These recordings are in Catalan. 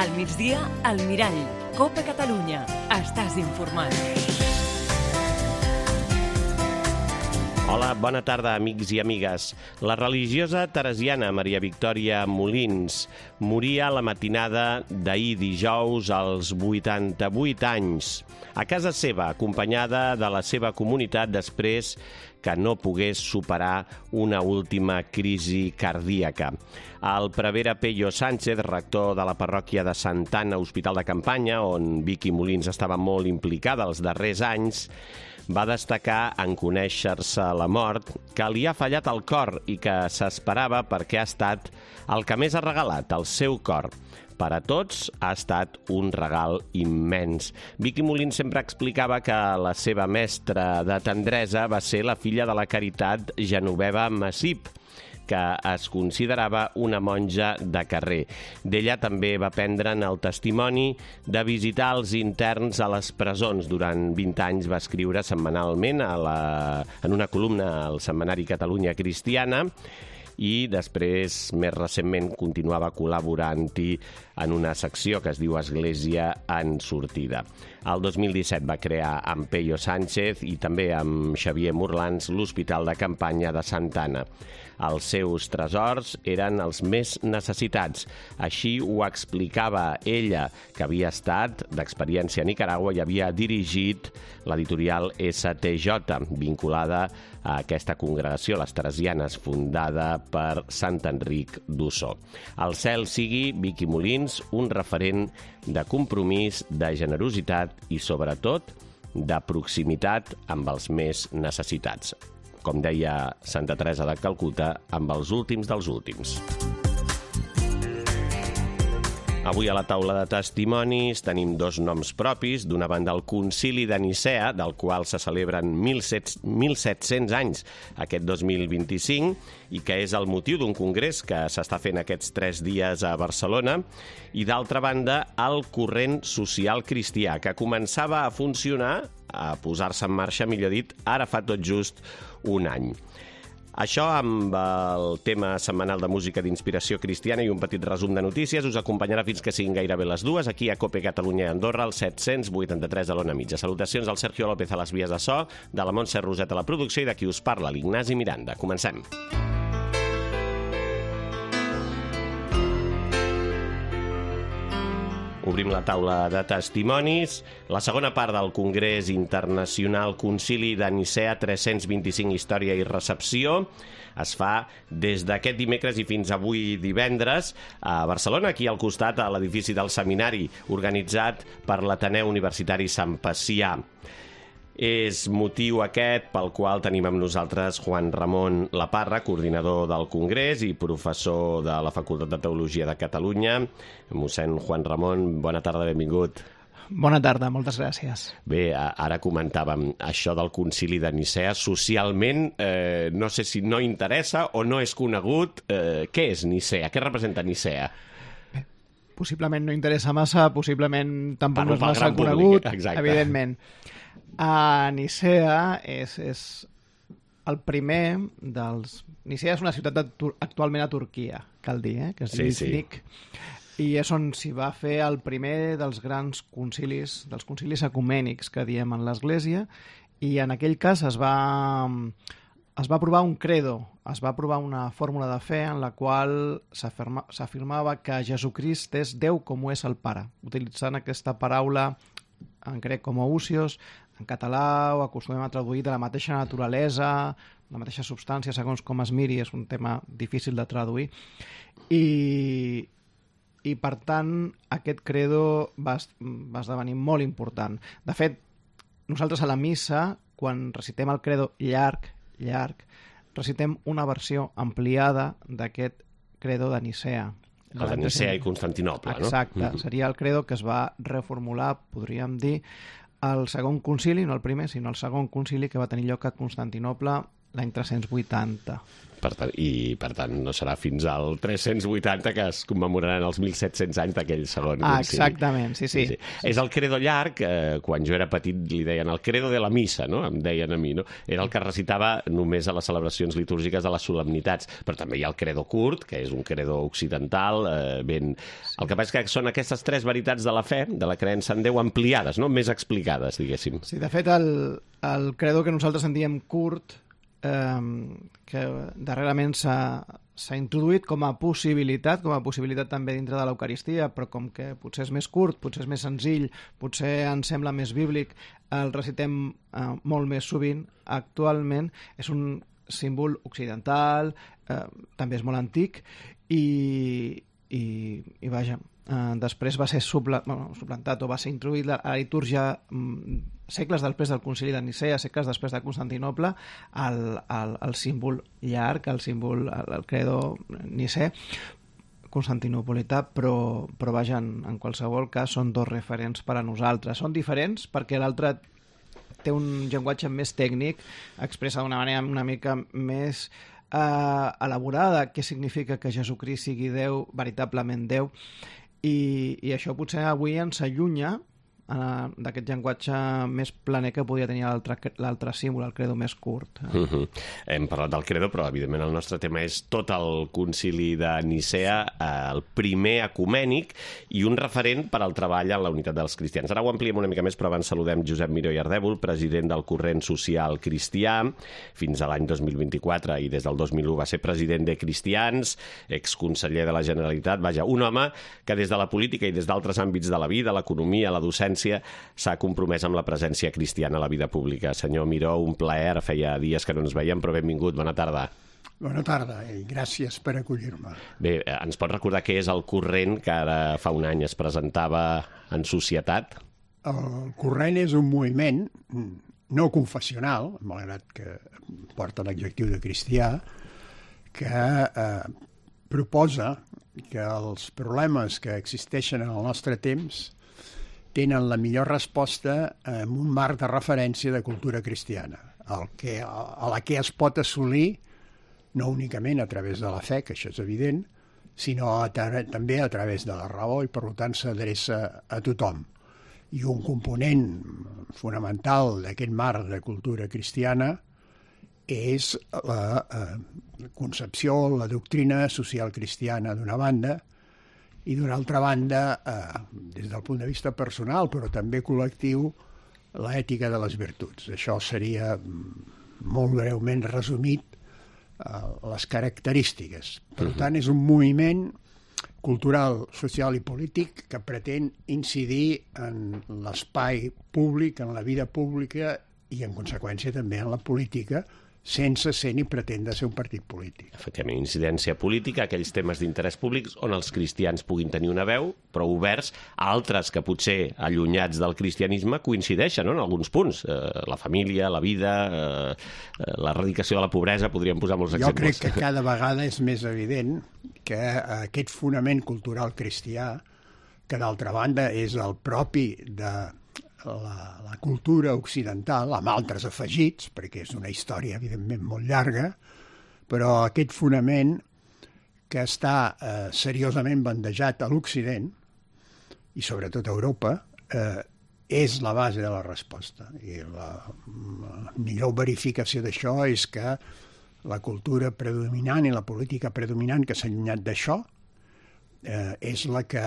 Al migdia, al Mirall. Copa Catalunya. Estàs informat. Hola, bona tarda, amics i amigues. La religiosa teresiana Maria Victòria Molins moria la matinada d'ahir dijous als 88 anys, a casa seva, acompanyada de la seva comunitat després que no pogués superar una última crisi cardíaca. El prevere Peyo Sánchez, rector de la parròquia de Santa Anna, Hospital de Campanya, on Vicky Molins estava molt implicada els darrers anys, va destacar en conèixer-se la mort que li ha fallat el cor i que s'esperava perquè ha estat el que més ha regalat, el seu cor. Per a tots ha estat un regal immens. Vicky Molins sempre explicava que la seva mestra de tendresa va ser la filla de la Caritat Genoveva Massip, que es considerava una monja de carrer. D'ella també va prendre'n el testimoni de visitar els interns a les presons. Durant 20 anys va escriure setmanalment en una columna al setmanari Catalunya Cristiana i després, més recentment, continuava col·laborant-hi en una secció que es diu Església en sortida. El 2017 va crear amb Peyo Sánchez i també amb Xavier Morlans l'Hospital de Campanya de Santa Anna. Els seus tresors eren els més necessitats. Així ho explicava ella, que havia estat d'experiència a Nicaragua i havia dirigit l'editorial STJ, vinculada a aquesta congregació, les Teresianes, fundada per Sant Enric d'Ossó. Al cel sigui Vicky Molins un referent de compromís, de generositat i, sobretot, de proximitat amb els més necessitats. Com deia Santa Teresa de Calcuta, amb els últims dels últims. Avui a la taula de testimonis tenim dos noms propis. D'una banda, el Concili de Nicea, del qual se celebren 1.700 anys aquest 2025 i que és el motiu d'un congrés que s'està fent aquests 3 dies a Barcelona. I d'altra banda, el Corrent Social Cristià, que començava a funcionar, a posar-se en marxa, millor dit, ara fa tot just un any. Això amb el tema setmanal de música d'inspiració cristiana i un petit resum de notícies us acompanyarà fins que siguin gairebé les 2 aquí a Cope Catalunya i Andorra, al 783 de l'Ona Mitja. Salutacions al Sergio López a les vies de so, de la Montse Roset a la producció i de qui us parla, l'Ignasi Miranda. Comencem. Obrim la taula de testimonis. La segona part del Congrés Internacional Concili de Nicea 325 Història i Recepció es fa des d'aquest dimecres i fins avui divendres a Barcelona, aquí al costat, a l'edifici del Seminari, organitzat per l'Ateneu Universitari Sant Pacià. És motiu aquest pel qual tenim amb nosaltres Juan Ramon Laparra, coordinador del Congrés i professor de la Facultat de Teologia de Catalunya. Mossèn Juan Ramon, bona tarda, benvingut. Bona tarda, moltes gràcies. Bé, ara comentàvem això del Concili de Nicea. Socialment, no sé si no interessa o no és conegut. Què és Nicea? Què representa Nicea? Possiblement no interessa massa, possiblement tampoc no és massa conegut, evidentment. A Nicea és el primer dels... Nicea és una ciutat actualment a Turquia, cal dir, que és Iznik, i és on s'hi va fer el primer dels grans concilis, dels concilis ecumènics que diem en l'Església, i en aquell cas es va aprovar un credo, es va aprovar una fórmula de fe en la qual s'afirmava que Jesucrist és Déu com ho és el Pare, utilitzant aquesta paraula en grec com ousios. En català ho acostumem a traduir de la mateixa naturalesa, la mateixa substància, segons com es miri, és un tema difícil de traduir. I per tant, aquest credo va esdevenir molt important. De fet, nosaltres a la missa, quan recitem el credo llarg, recitem una versió ampliada d'aquest credo de Nicea. El de Nicea i Constantinoble, no? Exacte, seria el credo que es va reformular, podríem dir, el segon concili, no el primer, sinó el segon concili que va tenir lloc a Constantinople l'any 380. Per tant, no serà fins al 380 que es commemoraran els 1.700 anys d'aquell segon concili. Exactament, sí. És el credo llarg, quan jo era petit li deien el credo de la missa, no? Em deien a mi, no? Era el que recitava només a les celebracions litúrgiques de les solemnitats, però també hi ha el credo curt, que és un credo occidental, ben... El que passa és que són aquestes tres veritats de la fe, de la creença en Déu, ampliades, no? Més explicades, diguéssim. Sí, de fet, el credo que nosaltres en diem curt, que darrerament s'ha introduït com a possibilitat també dintre de l'Eucaristia, però com que potser és més curt, potser és més senzill, potser ens sembla més bíblic, el recitem molt més sovint. Actualment és un símbol occidental, també és molt antic, i vaja, després va ser suplantat o va ser introduït a la litúrgia segles després del concili de Nicea, segles després de Constantinoble, el símbol llarg, el credo nicè, constantinopolità, però vaja, en qualsevol cas són dos referents per a nosaltres. Són diferents perquè l'altre té un llenguatge més tècnic, expressa d'una manera una mica més elaborada què significa que Jesucrist sigui Déu, veritablement Déu, i això potser avui ens allunya d'aquest llenguatge més planer que podia tenir l'altre símbol, el credo més curt. Hem parlat del credo, però evidentment el nostre tema és tot el concili de Nicea, el primer ecumènic i un referent per al treball en la unitat dels cristians. Ara ho ampliem una mica més, però abans saludem Josep Miró i Ardèvol, president del Corrent Social Cristià, fins a l'any 2024, i des del 2001 va ser president de Cristians, exconseller de la Generalitat, vaja, un home que des de la política i des d'altres àmbits de la vida, l'economia, la docència, s'ha compromès amb la presència cristiana a la vida pública. Senyor Miró, un plaer, feia dies que no ens veiem, però benvingut, bona tarda. Bona tarda i gràcies per acollir-me. Bé, ens pot recordar què és el Corrent que ara fa un any es presentava en societat? El Corrent és un moviment no confessional, malgrat que porta l'adjectiu de cristià, que proposa que els problemes que existeixen en el nostre temps tenen la millor resposta en un marc de referència de cultura cristiana, a la que es pot assolir no únicament a través de la fe, que això és evident, sinó també a través de la raó, i per tant s'adreça a tothom. I un component fonamental d'aquest marc de cultura cristiana és la concepció, la doctrina social cristiana d'una banda, i d'una altra banda, des del punt de vista personal, però també col·lectiu, l'ètica de les virtuts. Això seria molt breument resumit les característiques. Per tant, és un moviment cultural, social i polític que pretén incidir en l'espai públic, en la vida pública i, en conseqüència, també en la política, sense ser ni pretendre ser un partit polític. Efectivament, incidència política, aquells temes d'interès públics on els cristians puguin tenir una veu, però oberts a altres que potser allunyats del cristianisme coincideixen, no?, en alguns punts. La família, la vida, l'erradicació de la pobresa, podríem posar molts exemples. Jo crec que cada vegada és més evident que aquest fonament cultural cristià, que d'altra banda és el propi de la cultura occidental, amb altres afegits, perquè és una història, evidentment, molt llarga, però aquest fonament que està seriosament bandejat a l'Occident, i sobretot a Europa, és la base de la resposta. I la millor verificació d'això és que la cultura predominant i la política predominant que s'ha allunyat d'això és la que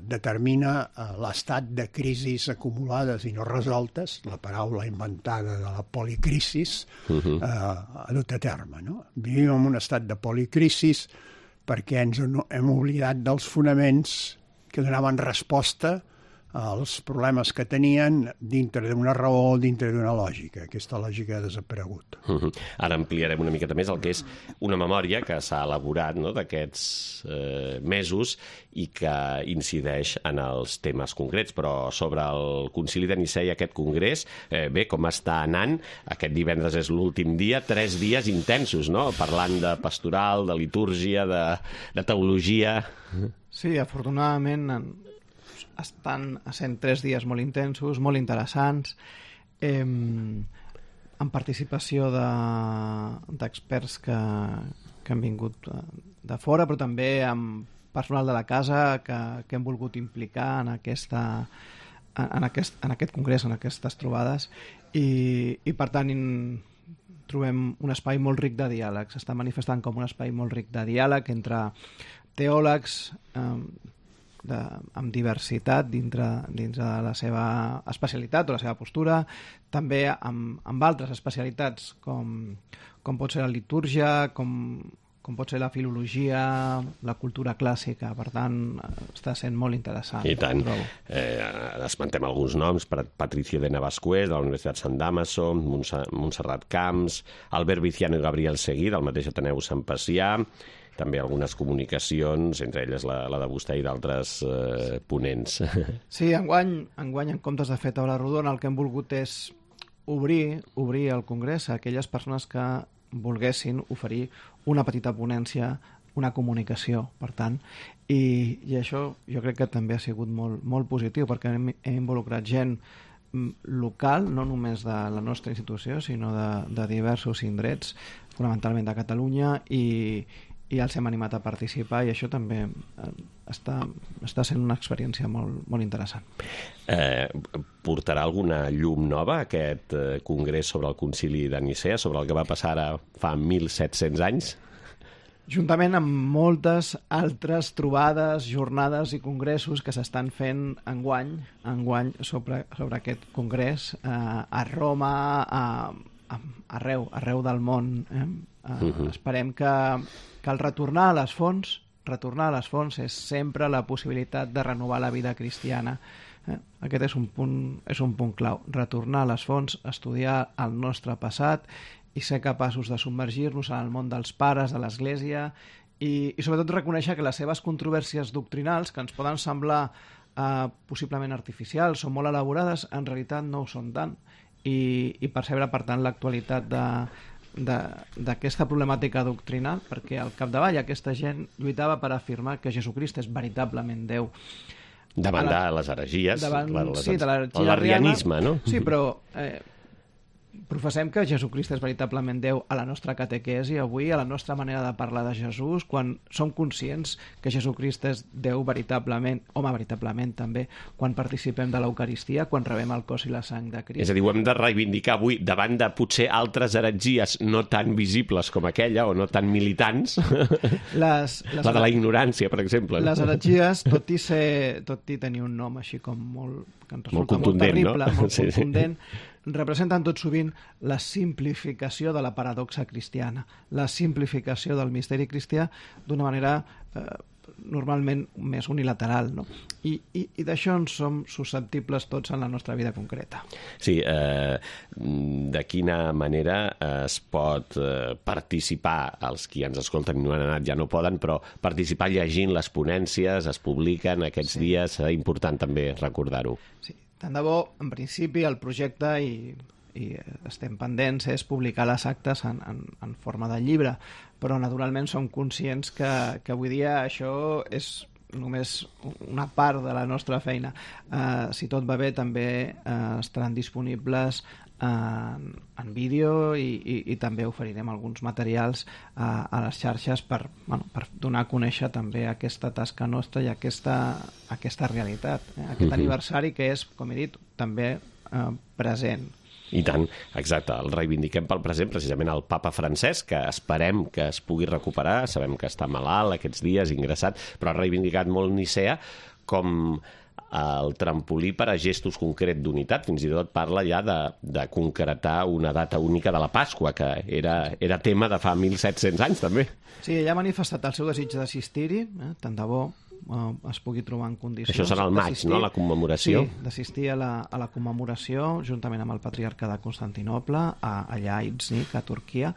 determina l'estat de crisis acumulades i no resoltes, la paraula inventada de la policrisis, a dut a terme. No? Vivim en un estat de policrisis perquè ens hem oblidat dels fonaments que donaven resposta als problemes que tenien dintre d'una raó, dintre d'una lògica. Aquesta lògica ha desaparegut. Ara ampliarem una miqueta més el que és una memòria que s'ha elaborat, no?, d'aquests mesos i que incideix en els temes concrets. Però sobre el Concili de Nicea i aquest congrés, bé, com està anant? Aquest divendres és l'últim dia, 3 dies intensos, no?, parlant de pastoral, de litúrgia, de teologia. Sí, afortunadament estan sent 3 dies molt intensos, molt interessants. amb participació d'experts que han vingut de fora, però també amb personal de la casa que hem volgut implicar en aquest congrés, en aquestes trobades, i per tant trobem un espai molt ric de diàleg. S'està manifestant com un espai molt ric de diàleg entre teòlegs amb diversitat dins de la seva especialitat o la seva postura, també amb altres especialitats com pot ser la litúrgia, com pot ser la filologia, la cultura clàssica. Per tant, està sent molt interessant. I tant. Esmentem alguns noms: Patricio de Navascués, de la Universitat Sant Damaso, Montserrat Camps, Albert Viciano i Gabriel Seguí, del mateix Ateneu Sant Pacià, també algunes comunicacions, entre elles la de vostè i d'altres ponents. Sí, enguany, en comptes de fer taula rodona, el que hem volgut és obrir el congrés a aquelles persones que volguessin oferir una petita ponència, una comunicació, per tant, i això jo crec que també ha sigut molt, molt positiu, perquè hem involucrat gent local, no només de la nostra institució, sinó de diversos indrets, fonamentalment de Catalunya, i els hem animat a participar, i això també està sent una experiència molt, molt interessant. Portarà alguna llum nova aquest congrés sobre el concili de Nicea, sobre el que va passar ara fa 1.700 anys? Juntament amb moltes altres trobades, jornades i congressos que s'estan fent enguany sobre aquest congrés a Roma, arreu del món. Esperem que el retornar a les fonts és sempre la possibilitat de renovar la vida cristiana. Aquest és un punt clau. Retornar a les fonts, estudiar el nostre passat i ser capaços de submergir-nos en el món dels pares, de l'Església, i sobretot reconèixer que les seves controvèrsies doctrinals, que ens poden semblar possiblement artificials o molt elaborades, en realitat no ho són tant, i percebre, per tant, l'actualitat d'aquesta problemàtica doctrinal, perquè al capdavall aquesta gent lluitava per afirmar que Jesucrist és veritablement Déu. Davant de les heregies, l'arrianisme, no? Sí, però professem que Jesucrist és veritablement Déu a la nostra catequesi avui, a la nostra manera de parlar de Jesús, quan som conscients que Jesucrist és Déu veritablement, home, veritablement també, quan participem de l'Eucaristia, quan rebem el cos i la sang de Crist. És a dir, ho hem de reivindicar avui davant de potser altres heretgies no tan visibles com aquella, o no tan militants, la de la ignorància, per exemple. Les heretgies, tot i tenir un nom així com molt contundent, terrible, no? Molt contundent, representen tot sovint la simplificació de la paradoxa cristiana, la simplificació del misteri cristià d'una manera normalment més unilateral, no? I d'això en som susceptibles tots en la nostra vida concreta. Sí, de quina manera es pot participar, els qui ens escolten i no han anat ja no poden, però participar llegint les ponències, es publiquen aquests dies, és important també recordar-ho. Sí, tant de bo, en principi, el projecte, i estem pendents, és publicar les actes en forma de llibre, però naturalment som conscients que avui dia això és només una part de la nostra feina. Si tot va bé, també estaran disponibles en vídeo, i també oferirem alguns materials a les xarxes per donar a conèixer també aquesta tasca nostra i aquesta realitat, aquest aniversari que és, com he dit, també present. I tant, exacte, el reivindiquem pel present, precisament el papa Francesc, que esperem que es pugui recuperar, sabem que està malalt aquests dies, ingressat, però ha reivindicat molt Nicea com el trampolí per a gestos concrets d'unitat. Fins i tot parla ja de concretar una data única de la Pasqua, que era tema de fa 1.700 anys, també. Sí, ella ha manifestat el seu desig d'assistir-hi, tant de bo es pugui trobar en condicions. Això serà al maig, no?, la commemoració. Sí, d'assistir a la commemoració, juntament amb el patriarca de Constantinoble, allà a Iznik, a Turquia.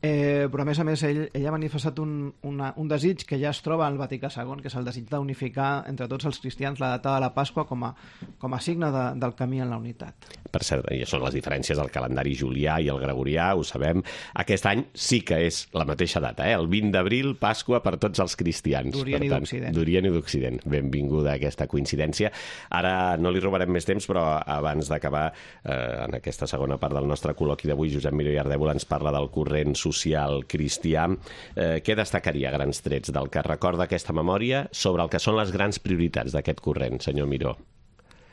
però a més ell ha manifestat un desig que ja es troba al Vaticà II, que és el desig d'unificar entre tots els cristians la data de la Pasqua com a signe del camí en la unitat. Per cert, i són les diferències del calendari julià i el gregorià, ho sabem. Aquest any sí que és la mateixa data, el 20 d'abril, Pasqua per tots els cristians. D'Orient i d'Occident. D'Orient i d'Occident. Benvinguda aquesta coincidència. Ara no li robarem més temps, però abans d'acabar en aquesta segona part del nostre col·loqui d'avui, Josep Miró i Ardèvol ens parla del corrent social cristià. Què destacaria a grans trets del que recorda aquesta memòria sobre el que són les grans prioritats d'aquest corrent, senyor Miró?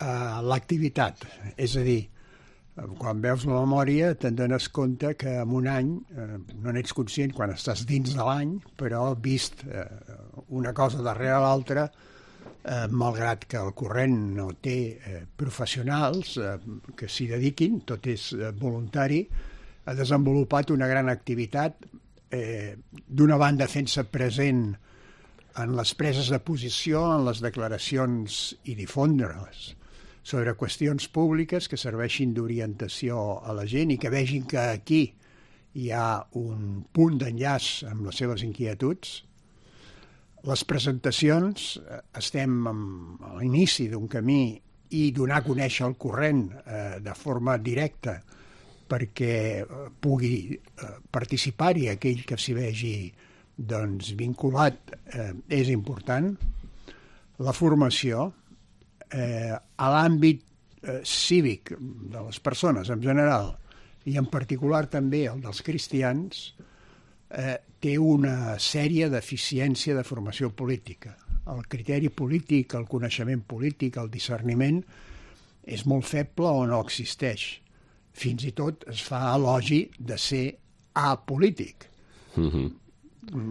L'activitat, és a dir, quan veus la memòria te'n dones compte que en un any no n'ets conscient quan estàs dins de l'any, però vist una cosa darrere l'altra, malgrat que el corrent no té professionals que s'hi dediquin, tot és voluntari, ha desenvolupat una gran activitat, d'una banda fent-se present en les preses de posició, en les declaracions i difondre-les sobre qüestions públiques que serveixin d'orientació a la gent i que vegin que aquí hi ha un punt d'enllaç amb les seves inquietuds. Les presentacions, estem a l'inici d'un camí i donar a conèixer el corrent de forma directa perquè pugui participar-hi aquell que s'hi vegi vinculat és important. La formació, a l'àmbit cívic de les persones en general i en particular també el dels cristians, té una sèrie deficiència de formació política. El criteri polític, el coneixement polític, el discerniment és molt feble o no existeix. Fins i tot es fa elogi de ser apolític.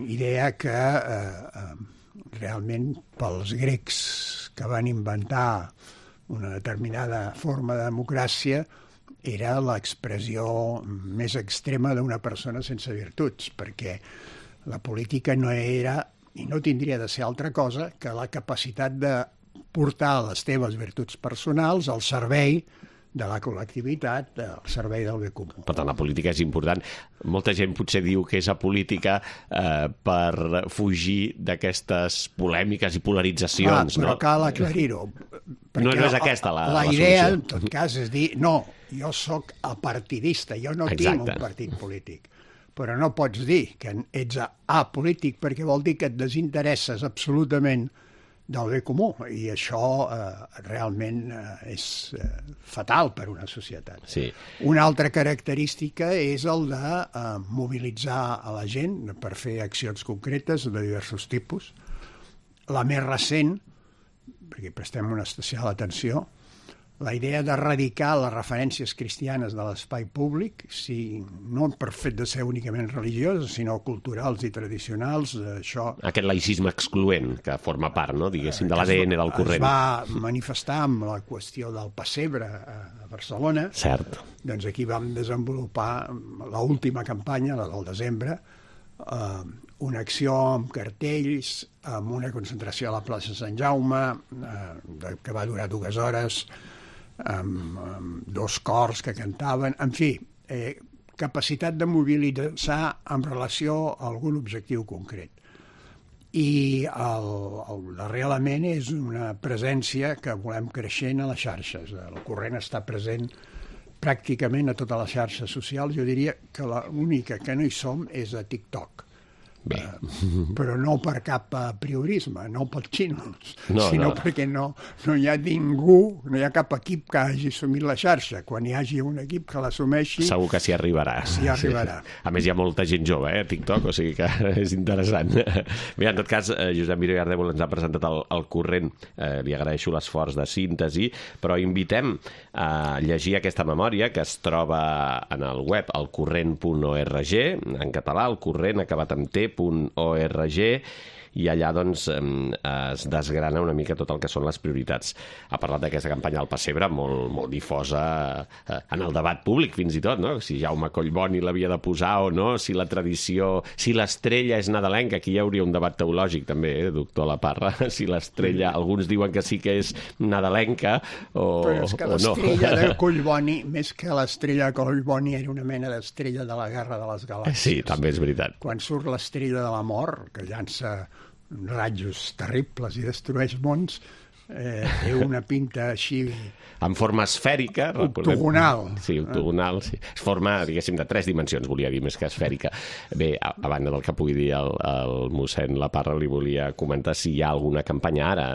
Idea que realment pels grecs que van inventar una determinada forma de democràcia era l'expressió més extrema d'una persona sense virtuts, perquè la política no era i no tindria de ser altra cosa que la capacitat de portar les teves virtuts personals al servei de la col·lectivitat, al servei del bé comú. Per tant, la política és important. Molta gent potser diu que és apolítica per fugir d'aquestes polèmiques i polaritzacions. Però cal aclarir-ho. No és aquesta la idea, solució. en tot cas, és dir, no, jo sóc apartidista, jo no tinc un partit polític. Però no pots dir que ets apolític perquè vol dir que et desinteresses absolutament del bé comú, i això realment és fatal per una societat. Sí. Una altra característica és el de mobilitzar a la gent per fer accions concretes de diversos tipus. La més recent, perquè prestem una especial atenció, la idea d'erradicar les referències cristianes de l'espai públic, no per fet de ser únicament religioses, sinó culturals i tradicionals, això... Aquest laïcisme excloent, que forma part, no, diguéssim, de l'ADN del corrent. Es va manifestar amb la qüestió del pessebre a Barcelona. Cert. Doncs aquí vam desenvolupar l'última campanya, la del desembre, una acció amb cartells, amb una concentració a la plaça Sant Jaume, que va durar 2 hores, amb 2 cors que cantaven, en fi, capacitat de mobilitzar en relació a algun objectiu concret. I el darrer element és una presència que volem creixent a les xarxes. El corrent està present pràcticament a totes les xarxes socials. Jo diria que l'única que no hi som és a TikTok. Però no per cap priorisme, no pels xinos, sinó perquè no hi ha ningú, no hi ha cap equip que hagi assumit la xarxa. Quan hi hagi un equip que l'assumeixi... Segur que s'hi arribarà. S'hi arribarà. Sí. A més, hi ha molta gent jove, a TikTok, o sigui que és interessant. Bé, en tot cas, Josep Miró i Ardèvol ens ha presentat el corrent. Li agraeixo l'esforç de síntesi, però invitem a llegir aquesta memòria que es troba en el web elcorrent.org, en català, el corrent acabat amb t.org, i allà doncs es desgrana una mica tot el que són les prioritats. Ha parlat d'aquesta campanya al Pessebre, molt difosa en el debat públic, fins i tot, no? Si Jaume Collboni l'havia de posar o no, si la tradició, si l'estrella és nadalenca, aquí hi hauria un debat teològic també, doctor Laparra, si l'estrella, alguns diuen que sí que és nadalenca o no. Però és que l'estrella de Collboni, més que l'estrella de Collboni, era una mena d'estrella de la Guerra de les Galàxies. Sí, també és veritat. Quan surt l'estrella de la mort, que llança rajos terribles i destrueix mons, té una pinta així... En forma esfèrica. Octogonal. Sí, octogonal. Sí. Es forma, diguéssim, de 3 dimensions, volia dir, més que esfèrica. Bé, a banda del que pugui dir el mossèn Laparra, li volia comentar si hi ha alguna campanya ara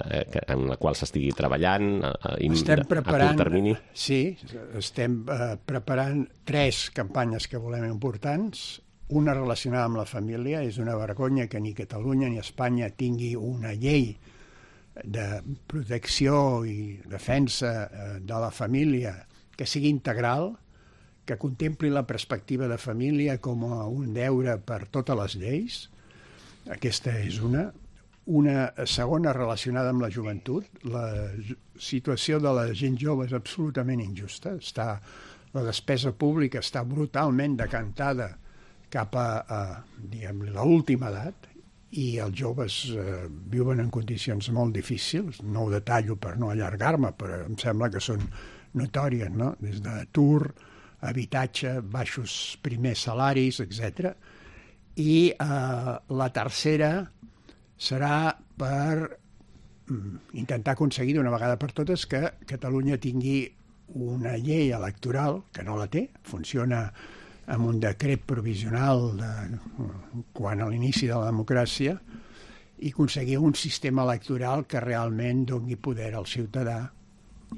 en la qual s'estigui treballant a curt termini. Sí, estem preparant 3 campanyes que volem importants. Una relacionada amb la família. És una vergonya que ni Catalunya ni Espanya tingui una llei de protecció i defensa de la família que sigui integral, que contempli la perspectiva de família com un deure per totes les lleis. Aquesta és una. Una segona relacionada amb la joventut. La situació de la gent jove és absolutament injusta. La despesa pública està brutalment decantada cap a l'última edat, i els joves viuen en condicions molt difícils. No ho detallo per no allargar-me, però em sembla que són notòries, no? Des d'atur, habitatge, baixos primers salaris, etc. I la tercera serà per intentar aconseguir d'una vegada per totes que Catalunya tingui una llei electoral, que no la té, funciona amb un decret provisional quan a l'inici de la democràcia, i aconseguir un sistema electoral que realment doni poder al ciutadà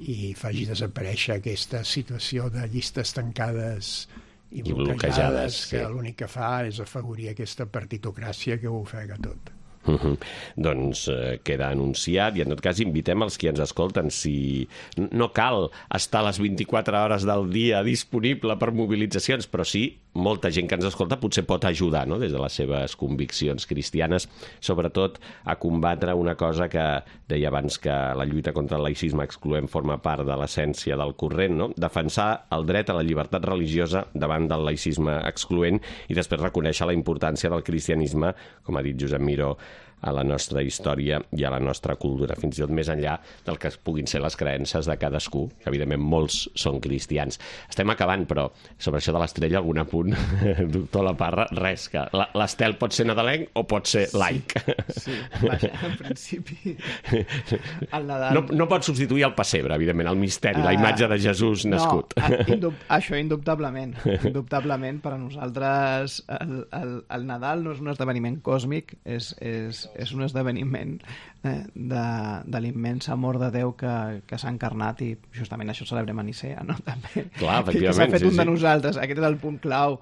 i faci desaparèixer aquesta situació de llistes tancades i bloquejades, que l'únic que fa és afavorir aquesta partitocràcia que ho ofega tot. Doncs queda anunciat, i en tot cas invitem els que ens escolten, si no cal estar les 24 hores del dia disponible per mobilitzacions, però sí, molta gent que ens escolta potser pot ajudar, no?, des de les seves conviccions cristianes, sobretot a combatre una cosa que deia abans, que la lluita contra el laïcisme excloent forma part de l'essència del corrent, no?, defensar el dret a la llibertat religiosa davant del laïcisme excloent i després reconèixer la importància del cristianisme, com ha dit Josep Miró, a la nostra història i a la nostra cultura, fins i tot més enllà del que puguin ser les creences de cadascú, que evidentment molts són cristians. Estem acabant, però sobre això de l'estrella algun apunt, doctor Laparra, res, que l'estel pot ser nadalenc o pot ser laic. Sí, vaja, en principi el Nadal... No pot substituir el pessebre, evidentment, el misteri, la imatge de Jesús nascut. No, això indubtablement. Indubtablement, per a nosaltres el Nadal no és un esdeveniment còsmic, és un esdeveniment de l'immens amor de Déu que s'ha encarnat, i justament això celebrem a Nicea, no? També. Clar, que s'ha fet un de nosaltres. Aquest és el punt clau.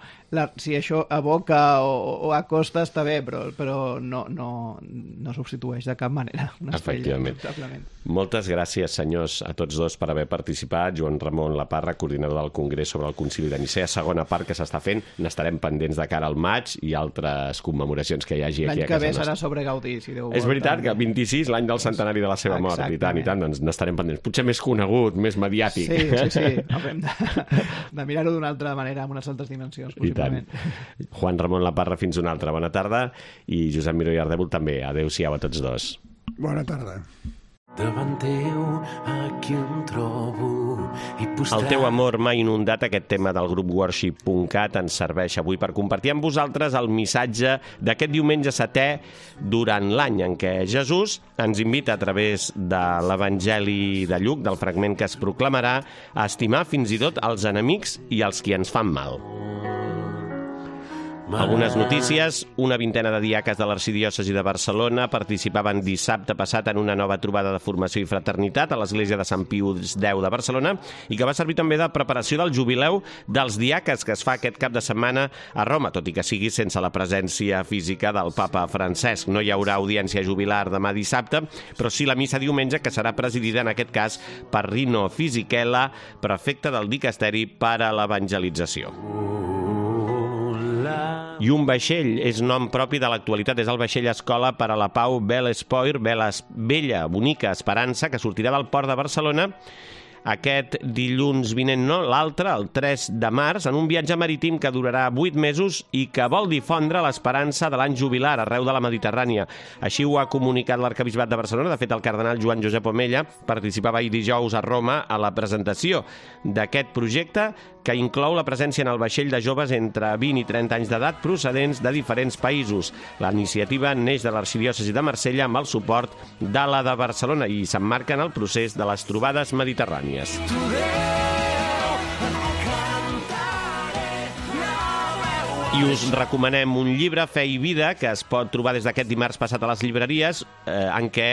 Si això aboca o acosta està bé, però no substitueix de cap manera una estrella. Efectivament. Moltes gràcies, senyors, a tots dos per haver participat. Joan Ramon Laparra, coordinador del Congrés sobre el Concili de Nicea, segona part que s'està fent. N'estarem pendents de cara al maig i altres commemoracions que hi hagi aquí a casa nostra. L'any que ve serà sobre Gaudí, si Déu vol. És veritat que 26, l'any del centenari de la seva mort, i tant, doncs n'estarem pendents. Potser més conegut, més mediàtic. Sí. Haurem de mirar-ho d'una altra manera, amb unes altres dimensions, possiblement. Juan Ramon Laparra, fins una altra. Bona tarda. I Josep Miró i Ardèvol també. Adéu-siau a tots dos. Bona tarda. Davant teu aquí em trobo i postrat... El teu amor m'ha inundat, aquest tema del grup Worship.cat ens serveix avui per compartir amb vosaltres el missatge d'aquest diumenge setè durant l'any, en què Jesús ens invita a través de l'Evangeli de Lluc, del fragment que es proclamarà, a estimar fins i tot els enemics i els qui ens fan mal. Algunes notícies. Una vintena de diaques de l'Arxidiòcesi de Barcelona participaven dissabte passat en una nova trobada de formació i fraternitat a l'església de Sant Pius X de Barcelona, i que va servir també de preparació del jubileu dels diaques que es fa aquest cap de setmana a Roma, tot i que sigui sense la presència física del papa Francesc. No hi haurà audiència jubilar demà dissabte, però sí la missa diumenge, que serà presidida en aquest cas per Rino Fisichella, prefecte del Dicasteri per a l'Evangelització. La I un vaixell és nom propi de l'actualitat, és el vaixell escola per a la pau Belle Espoir, Bella, bonica Esperança, que sortirà del port de Barcelona aquest dilluns vinent, no, l'altre, el 3 de març, en un viatge marítim que durarà 8 mesos i que vol difondre l'esperança de l'any jubilar arreu de la Mediterrània. Així ho ha comunicat l'Arquebisbat de Barcelona. De fet, el cardenal Joan Josep Omella participava ahir dijous a Roma a la presentació d'aquest projecte que inclou la presència en el vaixell de joves entre 20 i 30 anys d'edat procedents de diferents països. La iniciativa neix de l'Arxidiòcesi de Marsella amb el suport de la de Barcelona i s'emmarca en el procés de les trobades mediterrànies. I us recomanem un llibre, Fe i vida, que es pot trobar des d'aquest dimarts passat a les llibreries, en què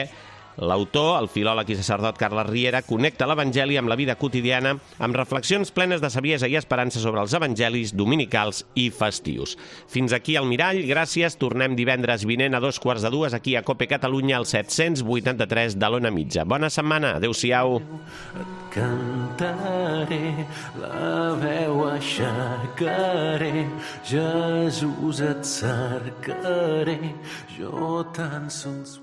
l'autor, el filòleg i sacerdot Carles Riera, connecta l'Evangeli amb la vida quotidiana amb reflexions plenes de saviesa i esperança sobre els evangelis dominicals i festius. Fins aquí el Mirall, gràcies. Tornem divendres vinent a 2:15 aquí a COPE Catalunya, al 783 de l'Ona Mitja. Bona setmana, adeu-siau. Et cantaré, la veu aixecaré, Jesús et cercaré, jo tan sols